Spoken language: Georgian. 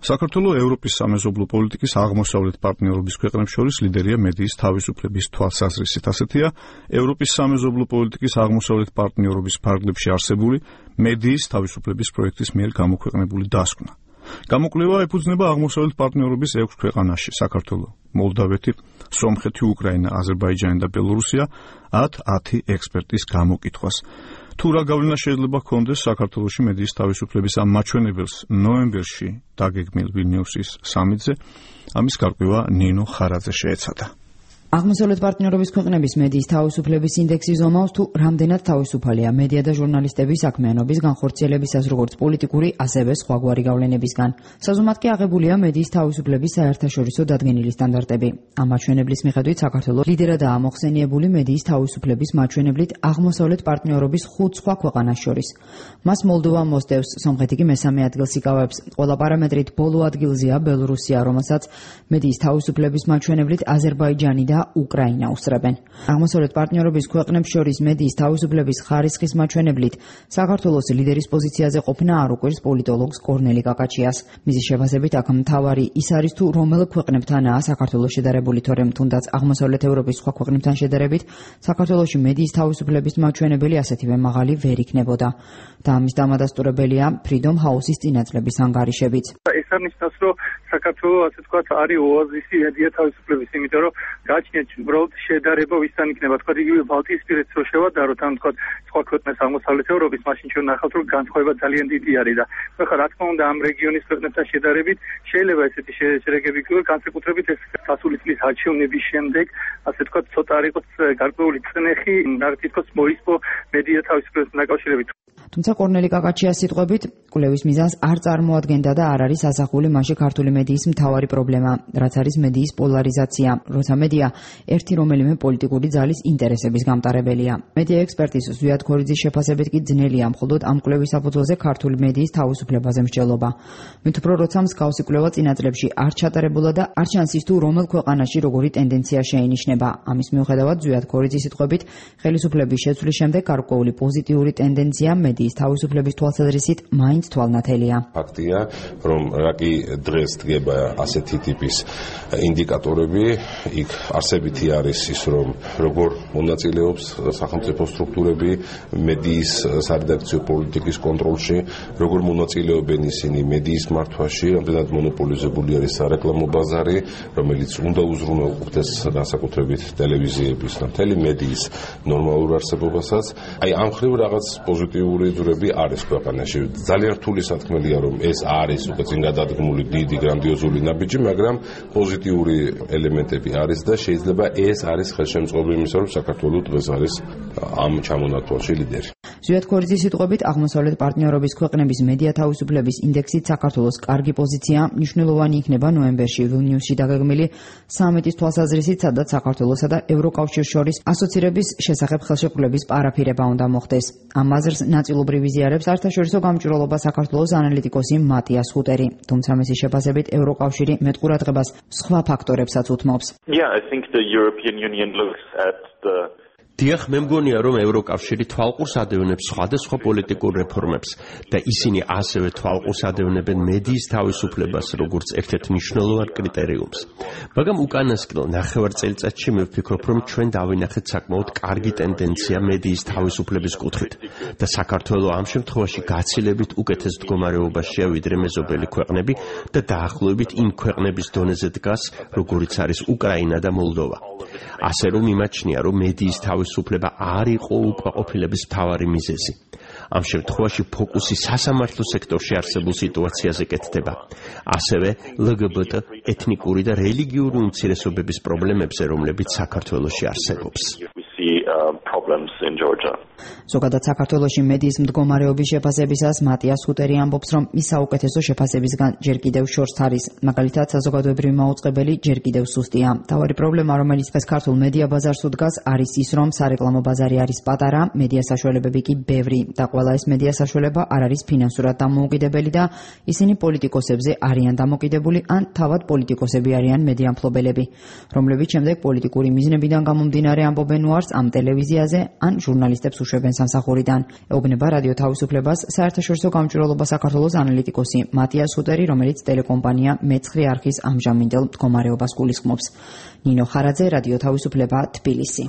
საქართველოს ევროპის სამეზობლო პოლიტიკის აღმოსავლეთ პარტნიორობის ქვეყნებს შორის ლიდერია მედიის თავისუფლების თვალსაზრისით. ასეთია ევროპის სამეზობლო პოლიტიკის აღმოსავლეთ პარტნიორობის ფარგლებში არსებული მედიის თავისუფლების პროექტის მიერ გამოქვეყნებული დასკვნა. გამოკვლევა ეფუძნება აღმოსავლეთ პარტნიორობის 6 ქვეყანაში: საქართველო, მოლდავეთი, სომხეთი, უკრაინა, აზერბაიჯანი და ბელორუსია 10 ექსპერტის გამოკითხვას. თუ რა გავლენა შეიძლება ჰქონდეს საქართველოში მედიის თავისუფლების ამ მაჩვენებელს ნოემბერში დაგეგმილ ვილნიუსის სამიტზე, ამის გარკვევა ნინო ხარაძე შეეცადა. აღმოსავლეთ პარტნიორობის ქვეყნების მედიის თავისუფლების ინდექსი ზომავს თუ რამდენად თავისუფალია მედია და ჟურნალისტების საქმიანობის განხორციელებისას როგორც პოლიტიკური, ასევე სხვაგვარი გავლენებისგან. საზომად კი აღებულია მედიის თავისუფლების საერთაშორისო დადგენილი სტანდარტები. ამ მაჩვენებლის მიხედვით საქართველოს ლიდერადაა მოხსენიებული მედიის თავისუფლების მაჩვენებლით აღმოსავლეთ პარტნიორობის 5 სხვა ქვეყანას შორის. მას მოლდოვა მოსდევს, სომხეთი კი მესამე ადგილს იკავებს. ყველა პარამეტრით ბოლო ადგილზეა ბელორუსია, რომელსაც მედიის თავისუფლების მაჩვენებლით აზერბაიჯანი და უკრაინა უსწრებენ. აღმოსავლეთ პარტნიორობის ქვეყნებს შორის მედიის თავისუფლების ხარისხის მაჩვენებლით საქართველოს ლიდერის პოზიციაზე ყოფნა არ უყვირს პოლიტოლოგს კორნელი კაკაჩიას. მისი შეფასებით აქ მთავარი ის არის თუ რომელ ქვეყნებთანაა საქართველოს შედარებული, თორემ თუნდაც აღმოსავლეთ ევროპის სხვა ქვეყნებთან შედარებით საქართველოში მედიის თავისუფლების მაჩვენებელი ასეთივე მაღალი ვერ იქნებოდა. და ამის დამადასტურებელია Freedom House-ის წინაწლების ანგარიშებიც. ეს არნიშნავს, რომ საქართველოს ასე თქვა არის ოაზისი მედია თავისუფლების, იმიტომ რომ გაჩნიათ უბრალოდ შედარება ვისთან იქნება, თქვა იგივე ბალტიისპირეთს რო შევადაროთ, ან თქვა სხვა ქვეყნებს აღმოსავლეთ ევროპის, მაშინ ჩვენ ნახავთ, რომ განსხვავება ძალიან დიდი არის და ხა რა თქმა უნდა ამ რეგიონის ქვეყნებთან შედარებით შეიძლება ესეთი შედეგები იქნება, განსაკუთრებით ეს გასული წლის არჩევნების შემდეგ, ასე თქვა ცოტა არ იყოს გარკვეული წნეხი, რა თქოს მოისპო მედია თავისუფლებასთან დაკავშირებით. თუმცა კორნელი კაკაჩიას სიტყვებით, კვლევის მიზანს არ წარმოადგენდა და არ არის ასახული მასში ქართული მედიის მთავარი პრობლემა, რაც არის მედიის პოლარიზაცია, როცა მედია ერთი რომელიმე პოლიტიკური ძალის ინტერესების გამტარებელია. მედია ექსპერტის ზვიად ქორიძის შეფასებით კი ძნელია მხოლოდ ამ კვლევის საფუძველზე ქართული მედიის თავისუფლებაზე მსჯელობა. მით უფრო როცა მსგავსი კვლევა წინა წლებში არ ჩატარებულა და არ ჩანს ის თუ რომელ ქვეყანაში როგორი ტენდენცია შეინიშნება. ამის მიუხედავად ზვიად ქორიძის სიტყვებით, ხელისუფლების შეცვლის შემდეგ გარკვეული პოზიტიური ტენდენცია მედიის თავისუფლების თვალსაზრისით მაინც თვალნათელია. ფაქტია, რომ რაკი დღეს დგება ასეთი ტიპის ინდიკატორები, იქ არსებითი არის ის, რომ როგორ მონაწილეობს სახელმწიფო სტრუქტურები მედიის სარედაქციო პოლიტიკის კონტროლში, როგორ მონაწილეობენ ისინი მედიის მართვაში, რამდენად მონოპოლიზებული არის სარეკლამო ბაზარი, რომელიც უნდა უზრუნველყოფდეს განსაკუთრებით ტელევიზიების და მთელი მედიის ნორმალურ არსებობასაც. აი ამ ხრივ რაღაც პოზიტიური ძვრები არის ქვეყანაში. ძალიან რთული სათქმელია, რომ ეს არის უკვე წინ გადადგმული დიდი გრანდიოზული ნაბიჯი, მაგრამ პოზიტიური ელემენტები არის და შეიძლება ეს არის ხელშემწყობი იმისა, რომ საქართველოს დღეს არის ამ ჩამონათვალში ლიდერი. ზვიად ქორიძის სიტყვებით, აღმოსავლეთ პარტნიორობის ქვეყნების მედია თავისუფლების ინდექსით საქართველოს კარგი პოზიცია მნიშვნელოვანი იქნება ნოემბერში ვილნიუსში დაგეგმილი სამიტის თვალსაზრისით, სადაც საქართველოსა და ევროკავშირს შორის ასოცირების შესახებ ხელშეკრულების პარაფირება უნდა მოხდეს. ამ აზრს ნაწილობრივ იზიარებს საერთაშორისო გამჭვირვალობა საქართველოს ანალიტიკოსი მატიას ხუტერი, თუმცა მისი შეფასებით ევროკავშირი მეტ ყურადღებას სხვა ფაქტორებსაც უთმობს. დიახ, მე მგონია, რომ ევროკავშირი თვალყურს ადევნებს სხვადასხვა პოლიტიკურ რეფორმებს და ისინი ასევე თვალყურს ადევნებენ მედიის თავისუფლებას როგორც ერთ-ერთ მნიშვნელოვან კრიტერიუმს. მაგრამ უკანასკნელ ნახევარ წელიწადში მე ვფიქრობ, რომ ჩვენ დავინახეთ საკმაოდ კარგი ტენდენცია მედიის თავისუფლების კუთხით და საქართველოს ამ შემთხვევაში გაცილებით უკეთეს მდგომარეობაშია ვიდრე მეზობელი ქვეყნები და დაახლოებით იმ ქვეყნების დონეზე დგას, როგორიც არის უკრაინა და მოლდოვა. ასე რომ იმაჩნია, რომ მედიის თავისუფლება არ იყო უკმაყოფილების მთავარი მიზეზი. ამ შემთხვევაში ფოკუსი სასამართლო სექტორში არსებულ სიტუაციაზე კეთდება. ასევე LGBT, ეთნიკური და რელიგიური უმცირესობების პრობლემებზე, რომლებიც საქართველოში არსებობს. ზოგადად საქართველოში მედიის მდგომარეობის შეფასებისას მატიას ხუტერი ამბობს, რომ ის საუკეთესო შეფასებისგან ჯერ კიდევ შორს არის. მაგალითად, საზოგადოებრივი მაუწყებელი ჯერ კიდევ სუსტია. მთავარი პრობლემა, რომელიც დღეს ქართულ მედია ბაზარს უდგას, არის ის, რომ სარეკლამო ბაზარი არის პატარა, მედია საშუალებები კი ბევრი და ყველა ეს მედია საშუალება არ არის ფინანსურად დამოუკიდებელი და ისინი პოლიტიკოსებზე არიან დამოკიდებული ან თავად პოლიტიკოსები არიან მედია მფლობელები, რომლებიც შემდეგ პოლიტიკური მიზნებიდან გამომდინარე ამბობენ უარს ამ ტელევიზიაზე ან ჟურნალისტებს უშვებენ სამსახურიდან. ეუბნება რადიო თავისუფლებას საერთაშორისო გამჭვირვალობა საქართველოს ანალიტიკოსი მატიას ხუტერი, რომელიც ტელეკომპანია მეცხრე არხის ამჟამინდელ მდგომარეობას გულისხმობს. ნინო ხარაძე, რადიო თავისუფლება, თბილისი.